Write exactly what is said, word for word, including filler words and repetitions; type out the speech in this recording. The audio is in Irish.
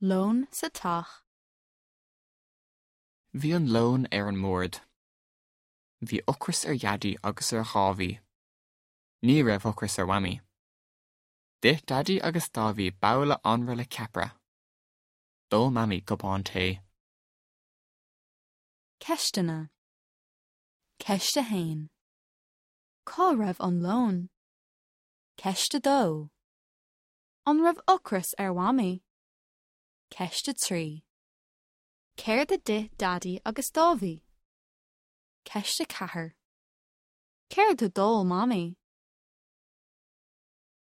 Lón sa teach. Bhí an lón ar an mbord. Bhí ocras ar Dhaidí agus ar Dháibhí. Ní raibh ocras ar Mhamaí. D'ith Daidí agus Dáibhí babhla anraith le ceapaire. D'ól Mamaí cupán tae. Ceisteanna. Ceist a haon. Cá raibh an lón? Ceist a dó. An raibh ocras ar Mhamaí? Ceist a trí. Céard a d'ith Daidí agus Dáibhí? Ceist a ceathair. Céard a d'ól Mamaí?